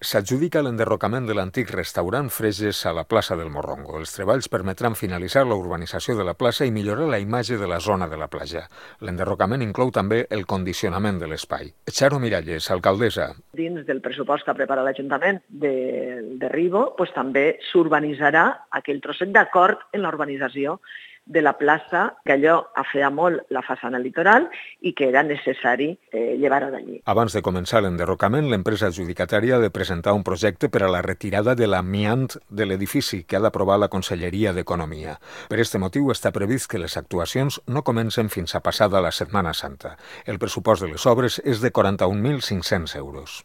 S'adjudica l'enderrocament de l'antic restaurant Freges a la plaça del Morrongo. Els treballs permetran finalitzar la urbanització de la plaça i millorar la imatge de la zona de la platja. L'enderrocament inclou també el condicionament de l'espai. Charo Miralles, alcaldessa. Dins del pressupost que prepara l'Ajuntament de Ribo, també s'urbanitzarà aquell trosset d'acord en la urbanització de la plaça, que allò afeia molt la façana litoral i que era necessari llevar-ho d'allí. Abans de començar l'enderrocament, l'empresa adjudicatària ha de presentar un projecte per a la retirada de l'amiant de l'edifici que ha d'aprovar la Conselleria d'Economia. Per aquest motiu està previst que les actuacions no comencen fins a passada la Setmana Santa. El pressupost de les obres és de 41.500 euros.